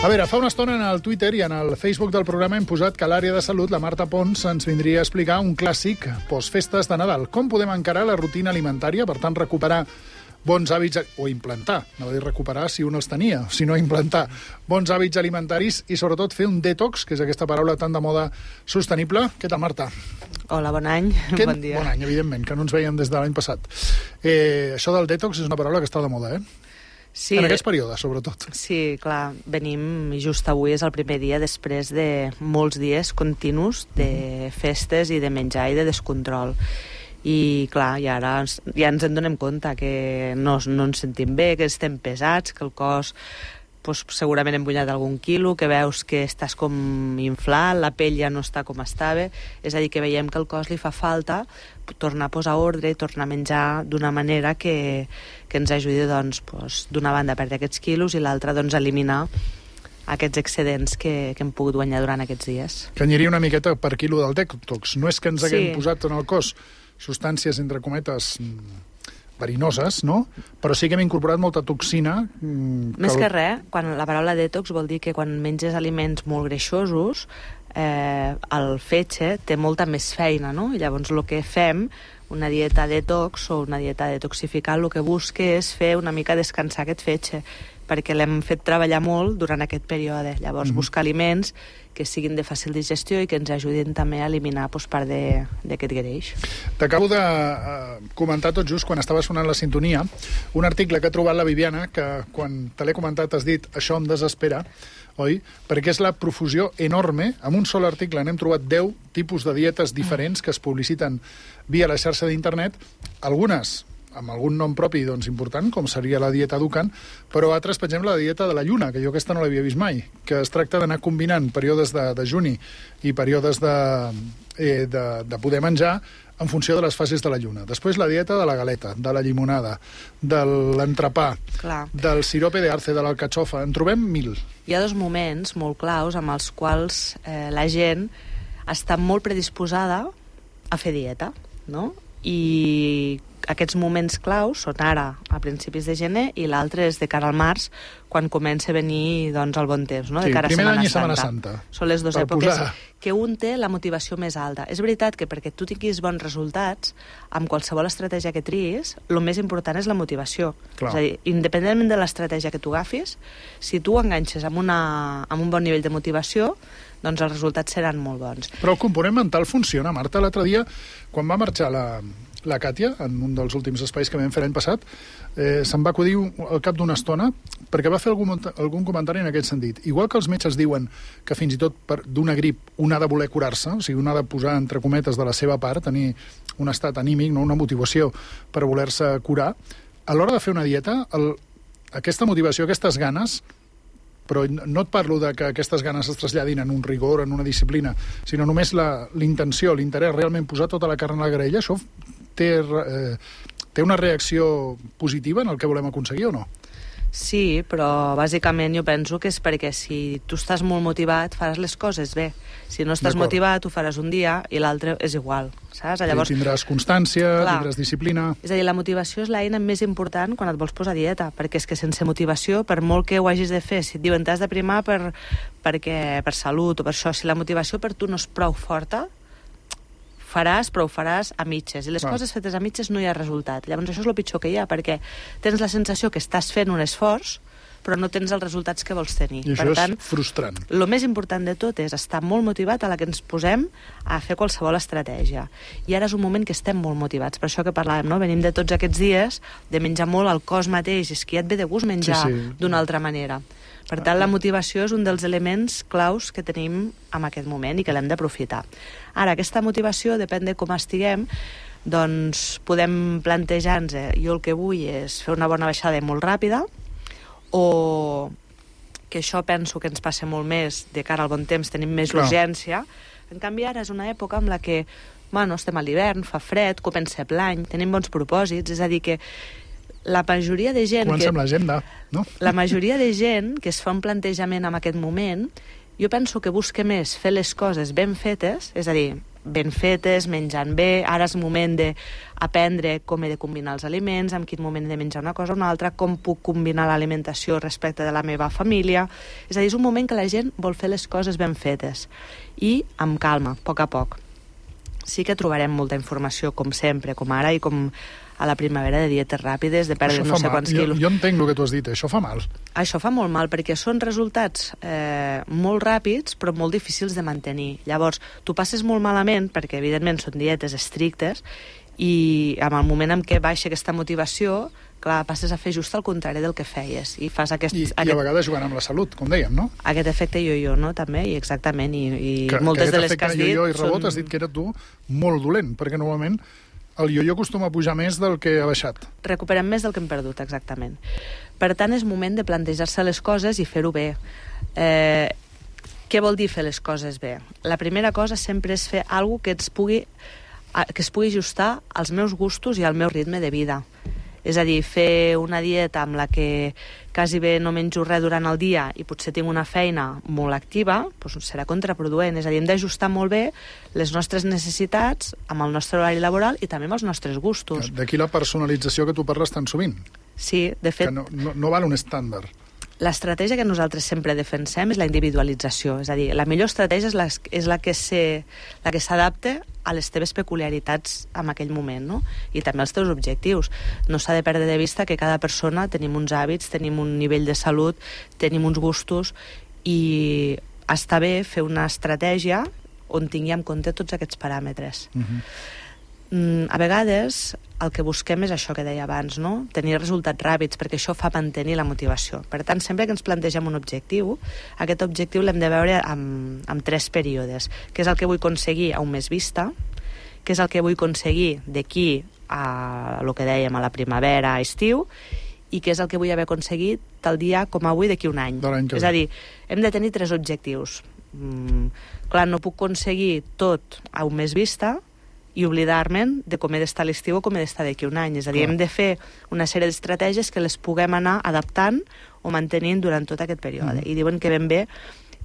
A veure, fa una estona en el Twitter i en el Facebook del programa hem posat que a l'àrea de salut la Marta Pons ens vindria a explicar un clàssic postfestes de Nadal. Com podem encarar la rutina alimentària, per tant, recuperar bons hàbits, o implantar, no vull dir recuperar si un els tenia, sinó implantar bons hàbits alimentaris i sobretot fer un detox, que és aquesta paraula tan de moda sostenible. Què tal, Marta? Hola, bon any, bon dia. Bon any, evidentment, que no ens veiem des de l'any passat. Això del detox és una paraula que està de moda, Sí, en aquests períodes, sobretot. Sí, clar, venim, i just avui és el primer dia després de molts dies continus de festes i de menjar i de descontrol. I clar, i ara ja ens en donem compte que no ens sentim bé, que estem pesats, que el cos segurament hem guanyat algun quilo, que veus que estàs com inflat, la pell ja no està com estava, és a dir, que veiem que al cos li fa falta tornar a posar ordre i tornar a menjar d'una manera que ens ajudi, d'una banda, a perdre aquests quilos i l'altra, eliminar aquests excedents que hem pogut guanyar durant aquests dies. Que aniria una miqueta per quilo del detox. No és que ens haguem posat en el cos substàncies, entre cometes, verinoses, no? Però sí que hem incorporat molta toxina. Més que res, quan la paraula detox vol dir que quan menges aliments molt greixosos, el fetge té molta més feina, no? I llavors el que fem, una dieta detox o una dieta detoxificant, el que busca és fer una mica descansar aquest fetge, perquè l'hem fet treballar molt durant aquest període. Llavors, buscar aliments que siguin de fàcil digestió i que ens ajudin també a eliminar part d'aquest greix. T'acabo de comentar tot just quan estava sonant la sintonia un article que ha trobat la Viviana, que quan te l'he comentat has dit això em desespera, oi? Perquè és la profusió enorme. En un sol article n'hem trobat 10 tipus de dietes diferents que es publiciten via la xarxa d'internet, algunes amb algun nom propi important, com seria la dieta Dukan, però altres, per exemple, la dieta de la lluna, que jo aquesta no l'havia vist mai, que es tracta d'anar combinant períodes de dejuni i períodes de poder menjar en funció de les fases de la lluna. Després la dieta de la galeta, de la llimonada, de l'entrepà, del sirope d'arce, de l'alcatxofa, en trobem 1000. Hi ha dos moments molt claus amb els quals la gent està molt predisposada a fer dieta, no? I aquests moments claus són ara, a principis de gener, i l'altre és de cara al març, quan comença a venir el bon temps, no? De cara a Setmana Santa. Són les dues èpoques que un té la motivació més alta. És veritat que perquè tu tinguis bons resultats, amb qualsevol estratègia que triïs, el més important és la motivació. És a dir, independentment de l'estratègia que tu agafis, si tu enganxes amb un bon nivell de motivació, doncs els resultats seran molt bons. Però el component mental funciona, Marta. L'altre dia, quan va marxar la Càtia, en un dels últims espais que vam fer l'any passat, se'm va acudir al cap d'una estona, perquè va fer algun comentari en aquest sentit. Igual que els metges diuen que fins i tot d'una grip un ha de voler curar-se, o sigui, un ha de posar entre cometes de la seva part, tenir un estat anímic, una motivació per voler-se curar, a l'hora de fer una dieta, aquesta motivació, aquestes ganes, però no et parlo de que aquestes ganes es traslladin en un rigor, en una disciplina, sinó només l'intenció, l'interès, realment posar tota la carn a la graella, això té una reacció positiva en el que volem aconseguir o no? Sí, però bàsicament jo penso que és perquè si tu estàs molt motivat faràs les coses bé. Si no estàs motivat ho faràs un dia i l'altre és igual, saps? Llavors, tindràs constància, tindràs disciplina. És a dir, la motivació és l'eina més important quan et vols posar a dieta, perquè és que sense motivació, per molt que ho hagis de fer, si et diuen t'has de primar per salut o per això, si la motivació per tu no és prou forta, però ho faràs a mitges. I les coses fetes a mitges no hi ha resultat. Llavors això és el pitjor que hi ha, perquè tens la sensació que estàs fent un esforç, però no tens els resultats que vols tenir. I això és frustrant. El més important de tot és estar molt motivat a la que ens posem a fer qualsevol estratègia. I ara és un moment que estem molt motivats. Per això que parlàvem, no? Venim de tots aquests dies de menjar molt al cos mateix. És que ja et ve de gust menjar d'una altra manera. Per tant, la motivació és un dels elements claus que tenim en aquest moment i que l'hem d'aprofitar. Ara, aquesta motivació, depèn de com estiguem, doncs podem plantejar-nos, jo el que vull és fer una bona baixada molt ràpida, o que això penso que ens passa molt més de cara al bon temps, tenim més urgència. En canvi, ara és una època en la que estem a l'hivern, fa fred, comença l'any, tenim bons propòsits, és a dir que la majoria de gent... Comença amb l'agenda, no? La majoria de gent que es fa un plantejament en aquest moment, jo penso que busca més fer les coses ben fetes, és a dir, ben fetes, menjant bé. Ara és moment d'aprendre com he de combinar els aliments, en quin moment he de menjar una cosa o una altra, com puc combinar l'alimentació respecte de la meva família. És a dir, és un moment que la gent vol fer les coses ben fetes i amb calma, a poc. Sí que trobarem molta informació, com sempre, com ara i com a la primavera, de dietes ràpides, de perdre no sé quants quilos. Jo entenc el que tu has dit, això fa mal. Això fa molt mal, perquè són resultats molt ràpids, però molt difícils de mantenir. Llavors, tu passes molt malament, perquè evidentment són dietes estrictes, i en el moment en què baixa aquesta motivació, clar, passes a fer just el contrari del que feies. I fas aquest... I a vegades jugant amb la salut, com dèiem, no? Aquest efecte jo-jo, no?, també, i exactament. I que moltes de les que has dit... Jo-jo i rebot has dit que era tu molt dolent, perquè normalment el jo-jo acostuma a pujar més del que ha baixat. Recuperem més del que hem perdut, exactament. Per tant, és moment de plantejar-se les coses i fer-ho bé. Què vol dir fer les coses bé? La primera cosa sempre és fer alguna que es pugui ajustar als meus gustos i al meu ritme de vida. És a dir, fer una dieta amb la que quasi bé no menjo res durant el dia i potser tinc una feina molt activa, doncs serà contraproduent. És a dir, hem d'ajustar molt bé les nostres necessitats amb el nostre horari laboral i també amb els nostres gustos. D'aquí la personalització que tu parles tan sovint. Sí, de fet... Que no val un estàndard. L'estratègia que nosaltres sempre defensem és la individualització. És a dir, la millor estratègia és la que s'adapta a les teves peculiaritats en aquell moment, no? I també als teus objectius. No s'ha de perdre de vista que cada persona tenim uns hàbits, tenim un nivell de salut, tenim uns gustos, i està bé fer una estratègia on tingui en compte tots aquests paràmetres. A vegades el que busquem és això que deia abans, no? Tenir resultats ràpids, perquè això fa mantenir la motivació. Per tant, sempre que ens plantegem un objectiu, aquest objectiu l'hem de veure en 3 períodes, que és el que vull aconseguir a un mes vista, que és el que vull aconseguir d'aquí a el que dèiem, a la primavera, a estiu, i que és el que vull haver aconseguit tal dia com avui d'aquí un any. És a dir, hem de tenir 3 objectius. Clar, no puc aconseguir tot a un mes vista i oblidar-me'n de com he d'estar a l'estiu o com he d'estar d'aquí un any. És a dir, hem de fer una sèrie d'estratègies que les puguem anar adaptant o mantenint durant tot aquest període. I diuen que ben bé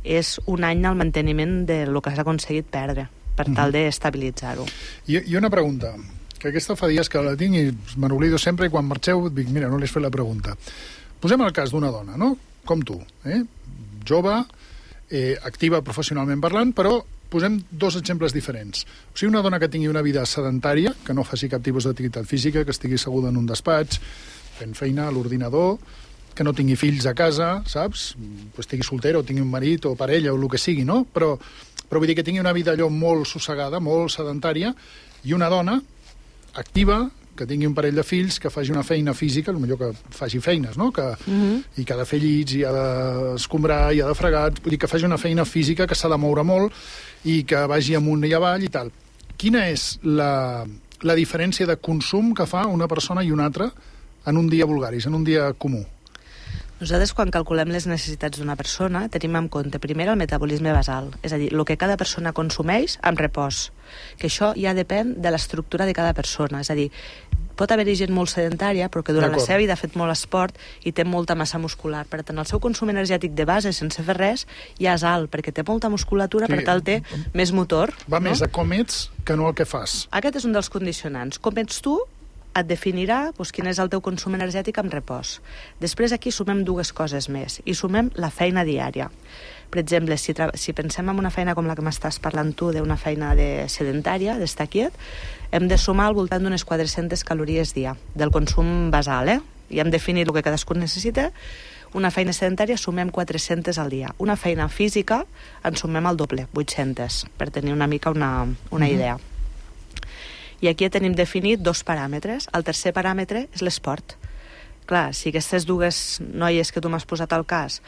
és un any al manteniment del que has aconseguit perdre, per tal d'estabilitzar-ho. I una pregunta, que aquesta fa dies que la tinc i me n'oblido sempre, i quan marxeu dic, mira, no li has fet la pregunta. Posem el cas d'una dona, no? Com tu, jove, activa professionalment parlant, però posem 2 exemples diferents. O sigui, una dona que tingui una vida sedentària, que no faci cap tipus d'activitat física, que estigui asseguda en un despatx, fent feina a l'ordinador, que no tingui fills a casa, saps? Que estigui soltera o tingui un marit o parella o el que sigui, no? Però vull dir que tingui una vida allò molt sossegada, molt sedentària, i una dona activa, que tingui un parell de fills, que faci una feina física, potser que faci feines, no? I que ha de fer llits, i ha d'escombrar, i ha de fregar, vull dir que faci una feina física que s'ha de moure molt i que vagi amunt i avall i tal. Quina és la diferència de consum que fa una persona i una altra en un dia vulgaris, en un dia comú? Nosaltres, quan calculem les necessitats d'una persona, tenim en compte primer el metabolisme basal, és a dir, el que cada persona consumeix amb repòs, que això ja depèn de l'estructura de cada persona. És a dir, pot haver-hi gent molt sedentària, però que durant la seva vida ha fet molt esport i té molta massa muscular. Per tant, el seu consum energètic de base, sense fer res, ja és alt, perquè té molta musculatura, per tant, té més motor. Va més a com ets que no el que fas. Aquest és un dels condicionants. Com ets tu et definirà quin és el teu consum energètic amb repòs. Després aquí sumem 2 coses més, i sumem la feina diària. Per exemple, si pensem en una feina com la que m'estàs parlant tu, d'una feina sedentària, d'estar quiet, hem de sumar al voltant d'unes 400 calories dia, del consum basal, i hem definit el que cadascú necessita. Una feina sedentària sumem 400 al dia. Una feina física en sumem el doble, 800, per tenir una mica una idea. I aquí tenim definit 2 paràmetres. El tercer paràmetre és l'esport. Clar, si aquestes 2 noies que tu m'has posat al cas,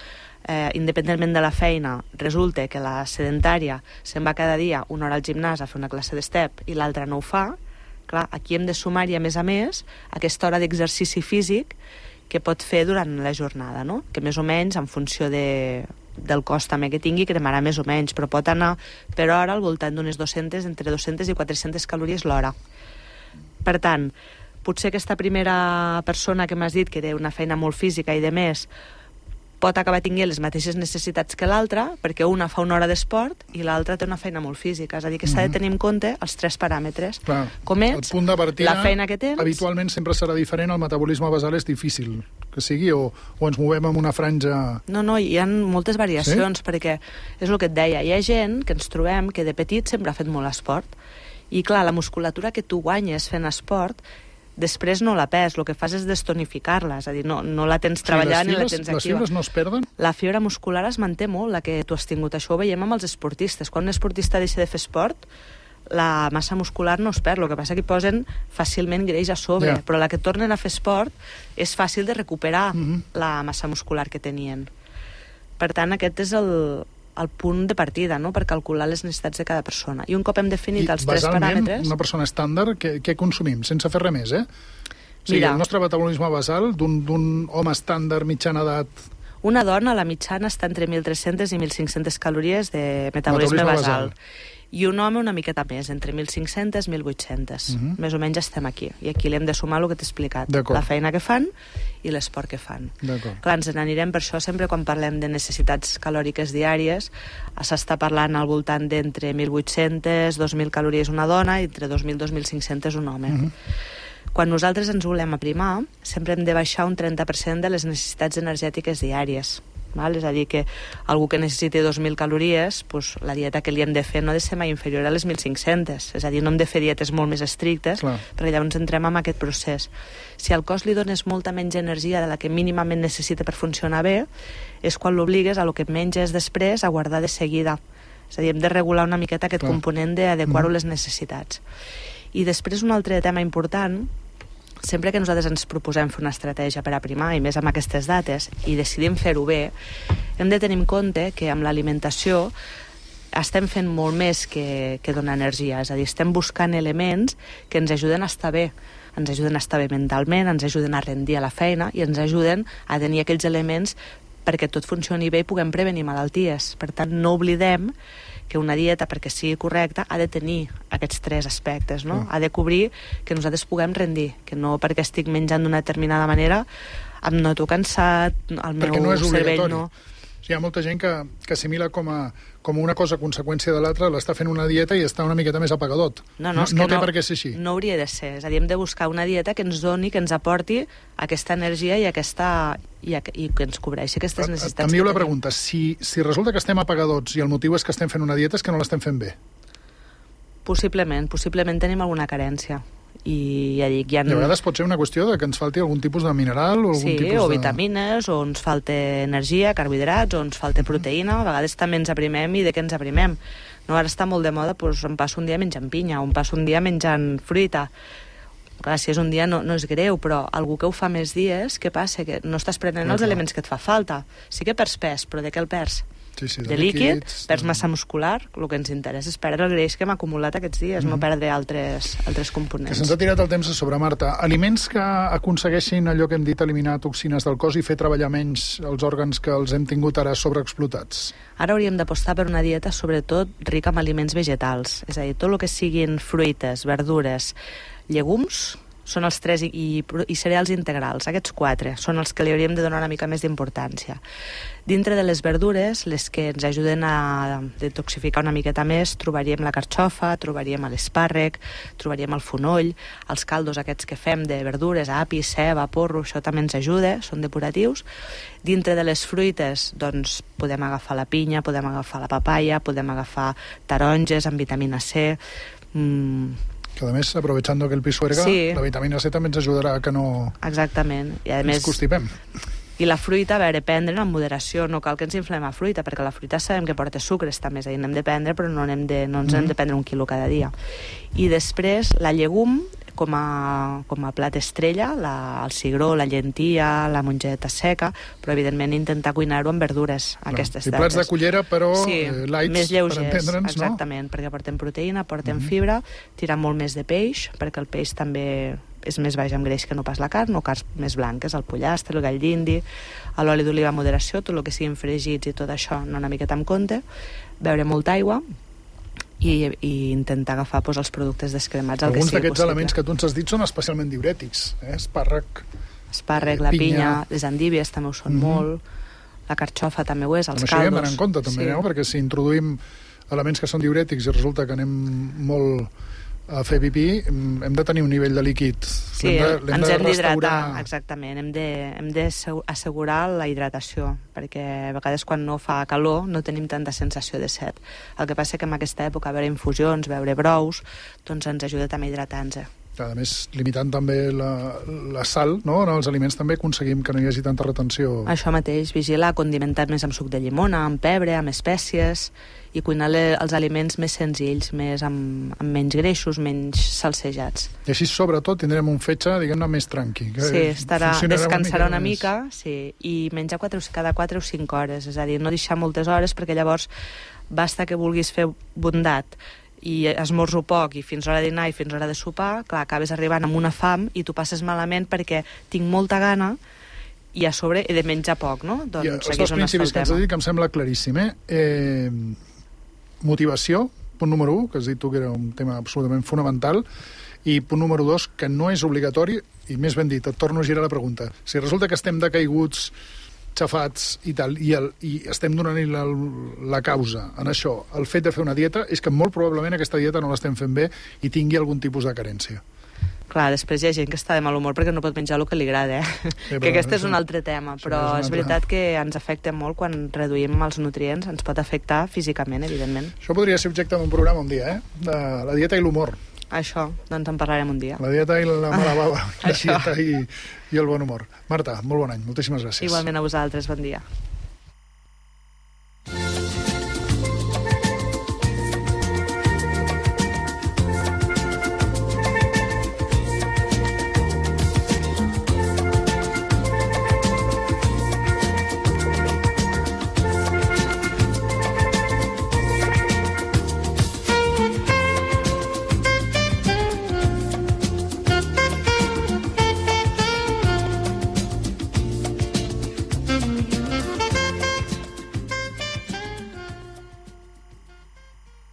independentment de la feina, resulta que la sedentària se'n va cada dia 1 hora al gimnàs a fer una classe d'estep i l'altra no ho fa, clar, aquí hem de sumar-hi, a més, aquesta hora d'exercici físic que pot fer durant la jornada, no? Que més o menys, en funció del cost també que tingui, cremarà més o menys, però pot anar per hora al voltant d'unes 200, entre 200 i 400 calories l'hora. Per tant, potser aquesta primera persona que m'has dit que té una feina molt física i de més, pot acabar tenint les mateixes necessitats que l'altra, perquè una fa una hora d'esport i l'altra té una feina molt física. És a dir, que s'ha de tenir en compte els 3 paràmetres. Clar, com ets, el punt de partida, la feina que tens... habitualment sempre serà diferent, el metabolisme basal és difícil que sigui, o ens movem en una franja... No, hi ha moltes variacions, perquè és el que et deia, hi ha gent que ens trobem que de petit sempre ha fet molt esport, i clar, la musculatura que tu guanyes fent esport després no la pes, el que fas és destonificar-la, és a dir, no la tens treballant ni la tens activa. Les fibres no es perden? La fibra muscular es manté molt, la que tu has tingut. Això ho veiem amb els esportistes. Quan un esportista deixa de fer esport, la massa muscular no es perd, el que passa que hi posen fàcilment greix a sobre, però la que tornen a fer esport és fàcil de recuperar la massa muscular que tenien. Per tant, aquest és el punt de partida, no?, per calcular les necessitats de cada persona. I un cop hem definit els 3 paràmetres... Una persona estàndard, què consumim? Sense fer res més, O sigui, el nostre metabolisme basal d'un home estàndard mitjana edat... Una dona, la mitjana, està entre 1.300 i 1.500 calories de metabolisme basal. I un home una miqueta més, entre 1.500 i 1.800. Més o menys estem aquí. I aquí li hem de sumar el que t'he explicat. La feina que fan i l'esport que fan. Clar, ens n'anirem per això sempre quan parlem de necessitats calòriques diàries. S'està parlant al voltant d'entre 1.800, 2.000 calories una dona i entre 2.000 i 2.500 un home. Quan nosaltres ens volem aprimar, sempre hem de baixar un 30% de les necessitats energètiques diàries. És a dir, que algú que necessiti 2.000 calories, la dieta que li hem de fer no ha de ser mai inferior a les 1.500. És a dir, no hem de fer dietes molt més estrictes, perquè llavors entrem en aquest procés. Si al cos li dones molta menys energia de la que mínimament necessita per funcionar bé, és quan l'obligues a lo que menges després a guardar de seguida. És a dir, hem de regular una miqueta aquest component d'adequar-ho a les necessitats. I després un altre tema important, sempre que nosaltres ens proposem fer una estratègia per aprimar, i més amb aquestes dates, i decidim fer-ho bé, hem de tenir en compte que amb l'alimentació estem fent molt més que donar energia. És a dir, estem buscant elements que ens ajuden a estar bé. Ens ajuden a estar bé mentalment, ens ajuden a rendir a la feina i ens ajuden a tenir aquells elements perquè tot funcioni bé i puguem prevenir malalties. Per tant, no oblidem que una dieta, perquè sigui correcta, ha de tenir aquests 3 aspectes, no? Ha de cobrir que nosaltres puguem rendir, que no perquè estic menjant d'una determinada manera em noto cansat, el meu cervell no... Hi ha molta gent que assimila com una cosa conseqüència de l'altra, l'està fent una dieta i està una miqueta més apagadot. No té per què ser així. No hauria de ser. És a dir, hem de buscar una dieta que ens doni, que ens aporti aquesta energia i que ens cobreixi aquestes necessitats. Canvio la pregunta. Si resulta que estem apagadots i el motiu és que estem fent una dieta, és que no l'estem fent bé. Possiblement tenim alguna carència. I ja dic, I a vegades pot ser una qüestió de que ens falti algun tipus de mineral o algun tipus o vitamines, o ens falta energia, carbohidrats, o ens falta proteïna. A vegades també ens aprimem i de què ens aprimem. No, ara està molt de moda, em passo un dia menjant pinya, o em passo un dia menjant fruita. Clar, si és un dia no és greu, però algú que ho fa més dies, què passa? Que no estàs prenent els elements que et fa falta. Sí que perds pes, però de què el perds? De líquid, perds massa muscular, el que ens interessa és perdre el greix que hem acumulat aquests dies, no perdre altres components. Que se'ns ha tirat el temps a sobre, Marta. Aliments que aconsegueixin allò que hem dit, eliminar toxines del cos i fer treballar menys els òrgans que els hem tingut ara sobreexplotats. Ara hauríem d'apostar per una dieta sobretot rica en aliments vegetals, és a dir, tot el que siguin fruites, verdures, llegums, són els 3 i cereals integrals. Aquests 4 són els que li hauríem de donar una mica més d'importància. Dintre de les verdures, les que ens ajuden a detoxificar una miqueta més, trobaríem la carxofa, trobaríem l'espàrrec, trobaríem el fonoll, els caldos aquests que fem de verdures, api, ceba, porro, això també ens ajuda, són depuratius. Dintre de les fruites, doncs, podem agafar la pinya, podem agafar la papaya, podem agafar taronges amb vitamina C, que a més, aprovechando que el pisuerga, la vitamina C també ens ajudarà a que no... Exactament. I a més, ens constipem. I la fruita, a veure, prendre en moderació, no cal que ens inflem a fruita, perquè la fruita sabem que porta sucres també, és a dir, n'hem de prendre, però no ens hem de prendre 1 quilo cada dia. I després, la llegum, com a plat estrella, el cigró, la llentia, la mongeta seca, però evidentment intentar cuinar-ho amb verdures, aquestes dates. Plats de cullera, però lights, més lleugers, per entendre'ns, no? Exactament, perquè porten proteïna, porten fibra, tirar molt més de peix, perquè el peix també és més baix en greix que no pas la carn, o carns més blanques, el pollastre, el gall d'indi, l'oli d'oliva a moderació, tot el que siguin fregits i tot això, no una miqueta amb compte, beure molta aigua, i intentar agafar els productes descremats el que sigui possible. Alguns d'aquests elements que tu ens has dit són especialment diürètics, espàrrec, la pinya, les endívies també ho són molt, La carxofa també ho és, els Amb això hi hem caldos. d'anar en compte, també, no? Perquè si introduïm elements que són diurètics i resulta que anem molt a fer pipí, hem de tenir un nivell de líquid. Sí, ens hem d'hidratar, exactament. Hem d'assegurar la hidratació, perquè a vegades quan no fa calor no tenim tanta sensació de set. El que passa que en aquesta època beure infusions, beure brous, doncs ens ajuda també a hidratar-nos. A més, limitant també la sal, no? En els aliments també aconseguim que no hi hagi tanta retenció. Això mateix, vigilar, condimentar més amb suc de llimona, amb pebre, amb espècies, i cuinar els aliments més senzills, més amb menys greixos, menys salsejats. I així, sobretot, tindrem un fetge, diguem-ne, més tranqui. Sí, descansarà una mica, sí, i menjar cada 4 o 5 hores, és a dir, no deixar moltes hores, perquè llavors basta que vulguis fer bondat i esmorzo poc i fins a l'hora de dinar i fins a l'hora de sopar, clar, acabes arribant amb una fam i tu passes malament perquè tinc molta gana i a sobre he de menjar poc, no? Doncs els dos principis que has dit que em sembla claríssim, motivació, punt número 1, que has dit tu que era un tema absolutament fonamental, i punt número 2, que no és obligatori, i més ben dit, et torno a girar la pregunta. Si resulta que estem decaiguts, xafats i tal, i estem donant-hi la causa en això, el fet de fer una dieta, és que molt probablement aquesta dieta no l'estem fent bé i tingui algun tipus de carència. Clar, després hi ha gent que està de mal humor perquè no pot menjar el que li agrada, que aquest és un altre tema, però és veritat que ens afecta molt quan reduïm els nutrients, ens pot afectar físicament, evidentment. Això podria ser objecte d'un programa un dia, de la dieta i l'humor. Això, doncs en parlarem un dia. La dieta i la mala bava, la dieta i el bon humor. Marta, molt bon any, moltíssimes gràcies. Igualment a vosaltres, bon dia.